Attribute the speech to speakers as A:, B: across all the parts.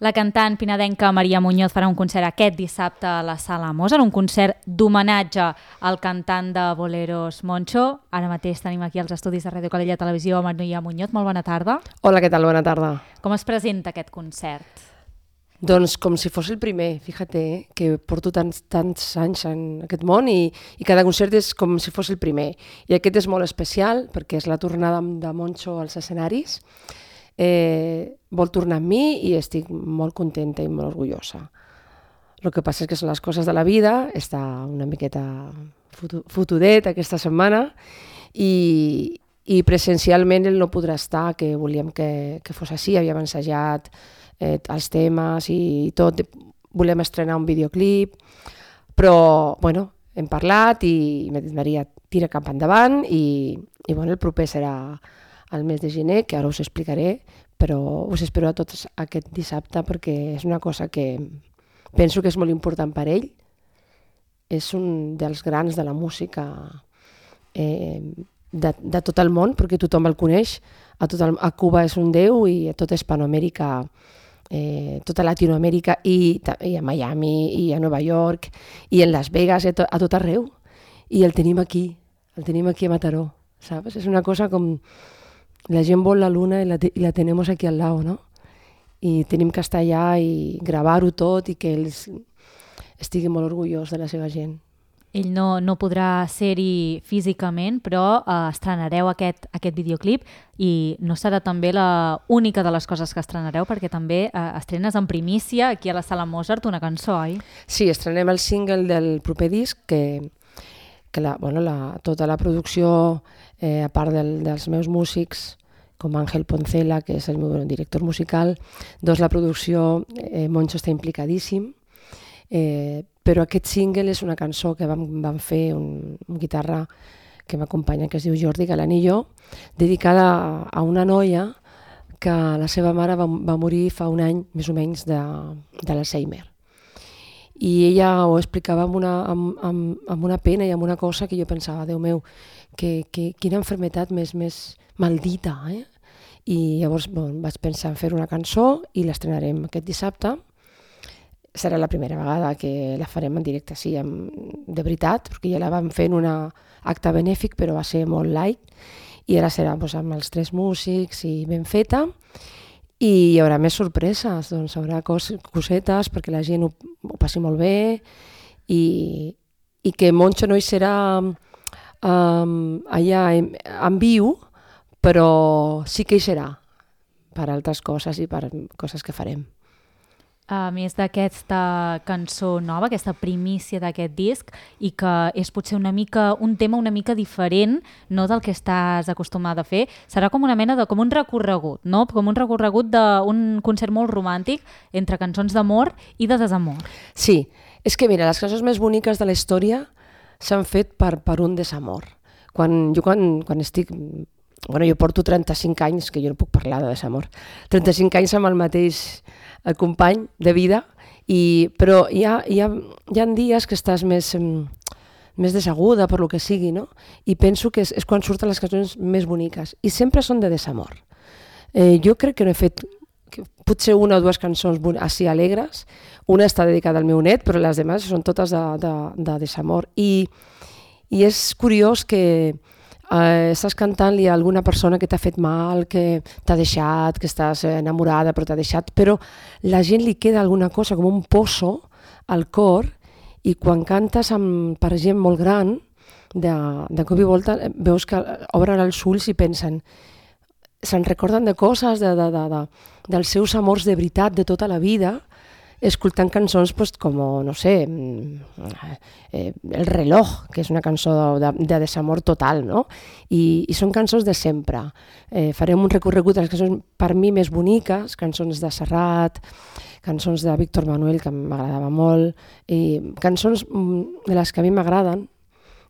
A: La cantant pinadenca Maria Muñoz farà un concert aquest dissabte a la Sala Mozart, un concert d'homenatge al cantant de boleros Moncho. Ara mateix tenim aquí als estudis de Ràdio Calella Televisió Maria Muñoz. Molt bona tarda.
B: Hola, què tal? Bona tarda.
A: Com es presenta aquest concert?
B: Doncs com si fos el primer, fíjate, que porto tants anys en aquest món i cada concert és com si fos el primer. I aquest és molt especial perquè és la tornada de Moncho als escenaris. Vol tornar amb mi i estic molt contenta i molt orgullosa. El que passa és que són les coses de la vida, està una miqueta fotudet aquesta setmana i presencialment ell no podrà estar, que volíem que fos així, havíem ensajat els temes i tot, volem estrenar un videoclip, però bueno, hem parlat i m'ha dit Maria, tira cap endavant i bueno, el proper serà al mes de gener, que ara us explicaré, però us espero a tots aquest dissabte perquè és una cosa que penso que és molt important per ell. És un dels grans de la música de tot el món, perquè tothom el coneix. A Cuba és un déu i a tota Hispanoamèrica, tota Latinoamèrica i a Miami i a Nova York i en Las Vegas, a tot arreu. I el tenim aquí a Mataró, ¿sabes? És una cosa com la gent vol la luna i la tenemos aquí al lado, ¿no? I tenim que estar allà i gravar-ho tot i que ells estiguin molt orgullosos de la seva gent.
A: Ell no podrà ser-hi físicament, però estrenareu aquest videoclip i no serà també l'única de les coses que estrenareu, perquè també estrenes en primícia aquí a la Sala Mozart una cançó, oi?
B: Sí, estrenem el single del proper disc que tota la producció, a part dels meus músics, com Ángel Poncela, que és el meu director musical, doncs la producció, Moncho està implicadíssim, però aquest single és una cançó que vam fer un guitarra que m'acompanya, que es diu Jordi Galanillo, dedicada a una noia que la seva mare va morir fa un any, més o menys, de l'Alzheimer. I ella ho explicava amb una pena i amb una cosa que jo pensava, Déu meu, quina malaltia més maldita, eh? I llavors vaig pensar en fer una cançó i l'estrenarem aquest dissabte. Serà la primera vegada que la farem en directe, sí, de veritat, perquè ja la vam fer en un acte benèfic, però va ser molt light, i ara serà amb els 3 músics i ben feta. I hi haurà més sorpreses, doncs hi haurà cosetes perquè la gent ho passi molt bé i que Moncho no hi serà allà en viu, però sí que hi serà per altres coses i per coses que farem.
A: A més d'aquesta cançó nova, aquesta primícia d'aquest disc, i que és potser un tema una mica diferent, no del que estàs acostumada a fer, serà com una mena com un recorregut, no? Com un recorregut d'un concert molt romàntic entre cançons d'amor i de desamor.
B: Sí, és que mira, les cançons més boniques de la història s'han fet per un desamor. Quan estic... Bueno, jo porto 35 anys, que jo no puc parlar de desamor, 35 anys amb el mateix company de vida, però hi ha dies que estàs més desaguda per lo que sigui, no? I penso que és quan surten les cançons més boniques, i sempre són de desamor. Jo crec que no he fet potser 1 o 2 cançons així alegres, una està dedicada al meu net, però les demás són totes de desamor. I és curiós que estàs cantant-li a alguna persona que t'ha fet mal, que t'ha deixat, que estàs enamorada però t'ha deixat, però la gent li queda alguna cosa com un pozo al cor i quan cantes per gent molt gran, de cop i volta veus que obren els ulls i pensen, se'n recorden de coses, dels seus amors de veritat de tota la vida, escoltant cançons com, no sé, El reloj, que és una cançó de desamor total, no? I són cançons de sempre. Farem un recorregut de les cançons per mi més boniques, cançons de Serrat, cançons de Víctor Manuel, que m'agradava molt, i cançons de les que a mi m'agraden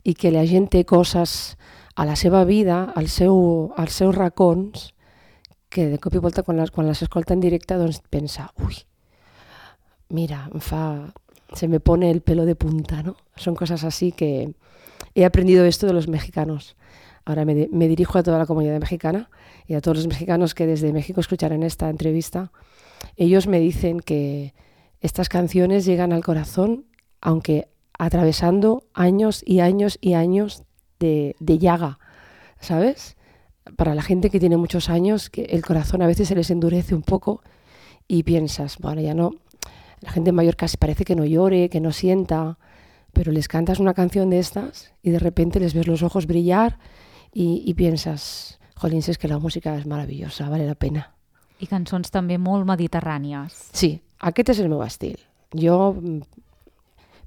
B: i que la gent té coses a la seva vida, als seus racons, que de cop i volta quan les escolta en directe doncs pensa, ui, mira, se me pone el pelo de punta, ¿no? Son cosas así que he aprendido esto de los mexicanos. Ahora me dirijo a toda la comunidad mexicana y a todos los mexicanos que desde México escucharán esta entrevista. ellos me dicen que estas canciones llegan al corazón, aunque atravesando años y años y años de llaga, ¿sabes? Para la gente que tiene muchos años, que el corazón a veces se les endurece un poco y piensas, bueno, ya no, la gente mayor casi parece que no llore, que no sienta, pero les cantas una canción de estas y de repente les ves los ojos brillar y piensas, jolín, si es que la música és maravillosa, vale la pena.
A: I cançons també molt mediterrànies.
B: Sí, aquest és el meu estil. Jo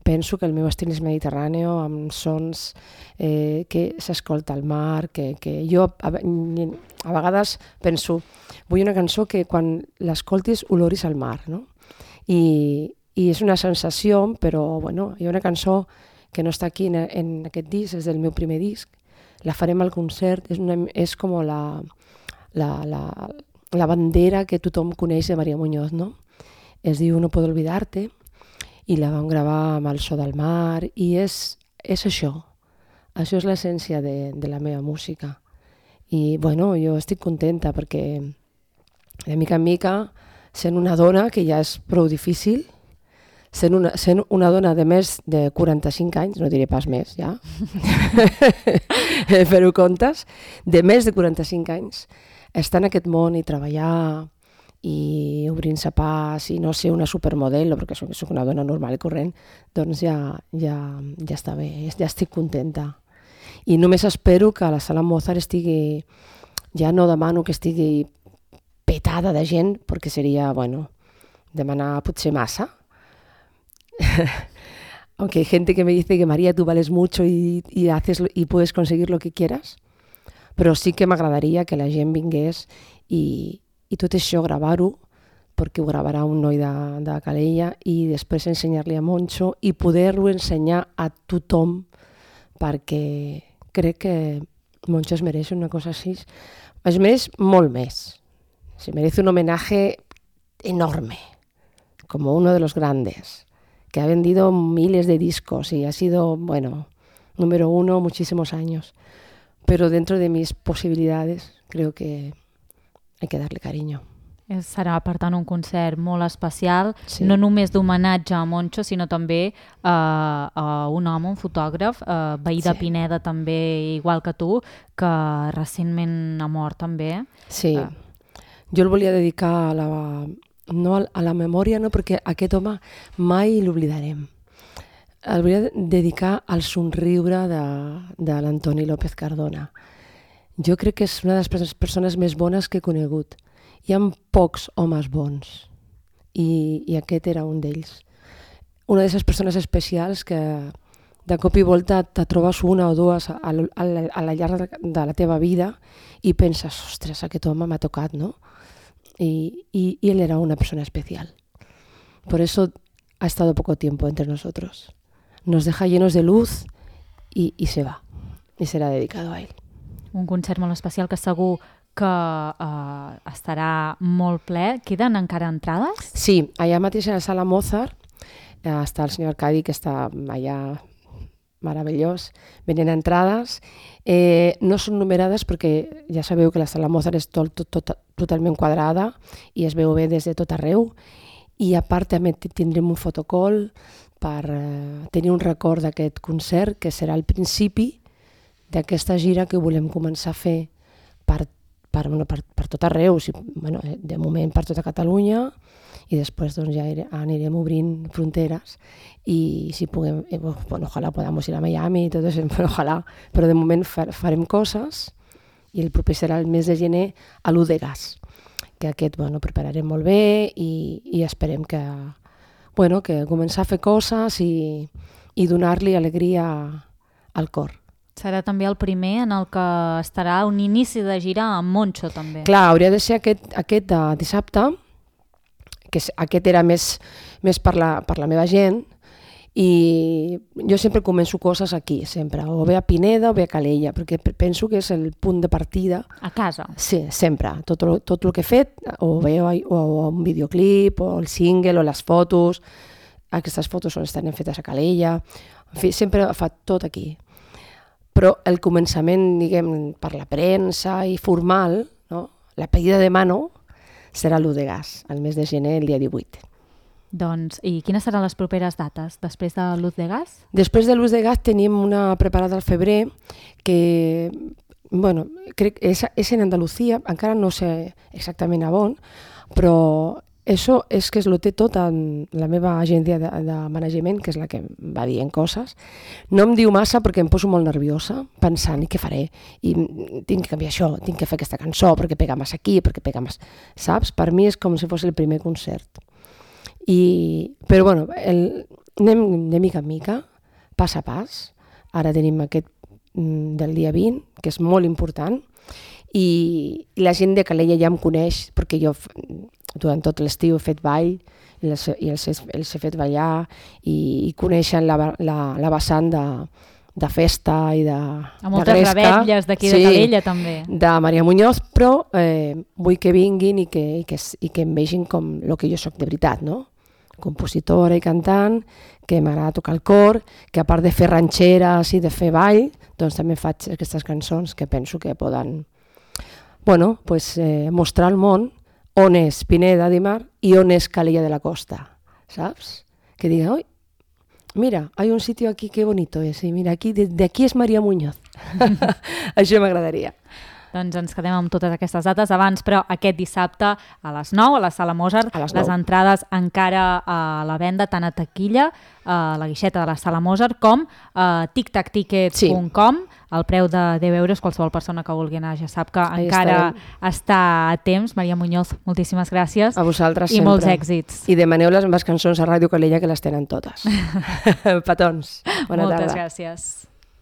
B: penso que el meu estil és mediterrani, amb sons que s'escolta al mar, que jo a vegades penso, vull una cançó que quan l'escoltis oloris al mar, no? I és una sensació, però bueno, hi ha una cançó que no està aquí en aquest disc, és del meu primer disc, la farem al concert, és com la bandera que tothom coneix de Maria Muñoz, no? Es diu No puedo olvidarte, i la vam gravar amb el so del mar, i és això és l'essència de la meva música. I bueno, jo estic contenta perquè de mica en mica, sent una dona, que ja és prou difícil, sent una dona de més de 45 anys, no diré pas més, ja, fer-ho comptes, de més de 45 anys, estar en aquest món i treballar i obrint-se pas i no ser una supermodel, perquè soc una dona normal i corrent, doncs ja està bé, ja estic contenta. I només espero que la sala Mozart estigui, ja no demano que estigui petada de gent, perquè seria, bueno, demanar potser massa. Aunque hay gente que me dice que María, tú vales mucho y puedes conseguir lo que quieras, però sí que m'agradaria que la gent vingués i tot això gravar-ho, perquè ho gravarà un noi de Calella, i després ensenyar-li a Moncho i poder-ho ensenyar a tothom, perquè crec que Moncho es mereix una cosa així. Es mereix molt més. Se merece un homenaje enorme, como uno de los grandes, que ha vendido miles de discos y ha sido, bueno, número 1 muchísimos años. Pero dentro de mis posibilidades creo que hay que darle cariño.
A: Serà, per tant, un concert molt especial,
B: sí.
A: No només d'homenatge a Moncho, sinó també a un home, un fotògraf, veí de Pineda també, igual que tu, que recentment ha mort també.
B: Sí, jo el volia dedicar no a la memòria, no, perquè aquest home mai l'oblidarem. El volia dedicar al somriure de l'Antoni López Cardona. Jo crec que és una de les persones més bones que he conegut. Hi ha pocs homes bons i aquest era un d'ells. Una d'aquestes persones especials que de cop i volta te trobes una o dues a la llarg de la teva vida i penses, ostres, aquest home m'ha tocat, ¿no? Y él era una persona especial. Por eso ha estado poco tiempo entre nosotros. Nos deja llenos de luz y se va. Y serà dedicado a él.
A: Un concert molt especial que segur que estarà molt ple. Queden encara entrades?
B: Sí, allà mateix a la sala Mozart està el senyor Arcadi, que està allà meravellós, venent entrades. No són numerades perquè ja sabeu que la sala Mozart és totalment quadrada i es veu bé des de tot arreu. I a part també tindrem un fotocall per tenir un record d'aquest concert, que serà el principi d'aquesta gira que volem començar a fer per tot arreu, de moment per tota Catalunya, i després doncs, ja anirem obrint fronteres i si puguem, ojalà podamos ir a Miami i tot això, ojalà, però de moment farem coses i el proper serà el mes de gener a l'Udegas, que aquest prepararem molt bé i esperem que començar a fer coses i donar-li alegria al cor.
A: Serà també el primer en el que estarà un inici de gira amb Moncho, també.
B: Clar, hauria de ser aquest de dissabte, que aquest era més per la meva gent, i jo sempre començo coses aquí, sempre, o bé a Pineda o bé a Calella, perquè penso que és el punt de partida.
A: A casa?
B: Sí, sempre. Tot el que he fet, o bé o un videoclip, o el single, o les fotos, aquestes fotos estan fetes a Calella, en fi, sempre fa tot aquí. Però el començament, diguem, per la premsa i formal, no? La pedida de mano, serà l'1 de gas, el mes de gener, el dia 18.
A: Doncs, i quines seran les properes dates després de l'Uz de Gas?
B: Després de l'Uz de Gas tenim una preparada al febrer que, bueno, crec que és en Andalucía, encara no sé exactament a on, però això és que es lo té tot en la meva agència de management, que és la que em va dient coses. No em diu massa perquè em poso molt nerviosa, pensant, i què faré? I tinc que canviar això, tinc que fer aquesta cançó, perquè pega massa aquí, perquè pega massa... Saps? Per mi és com si fos el primer concert. Però bueno, anem de mica en mica, pas a pas. Ara tenim aquest del dia 20, que és molt important, i la gent de Calella ja em coneix, perquè jo durant tot l'estiu he fet ball, i els he fet ballar, i coneixen la vessant de festa i de gresca.
A: A moltes revetlles d'aquí de Calella, també.
B: De Maria Muñoz, però vull que vinguin i que em vegin com el que jo soc de veritat, no? Compositora i cantant, que m'agrada tocar el cor, que a part de fer ranxeres i de fer ball, doncs també faig aquestes cançons que penso que poden mostrar al món on és Pineda de Mar i on és Calella de la Costa, saps? Que diga, oi, mira, hay un sitio aquí, qué bonito es, y mira, de aquí és Maria Muñoz. Això m'agradaria.
A: Doncs ens quedem amb totes aquestes dates abans, però aquest dissabte a les 9 a la Sala Mozart, les entrades encara a la venda, tant a taquilla, a la guixeta de la Sala Mozart, com a tictactickets.com. El preu de 10 euros, qualsevol persona que vulgui anar ja sap que encara està a temps. Maria Muñoz, moltíssimes gràcies.
B: A vosaltres
A: sempre. I molts èxits.
B: I demaneu les meves cançons a Ràdio Calella, que les tenen totes. Petons. Bona tarda.
A: Moltes gràcies.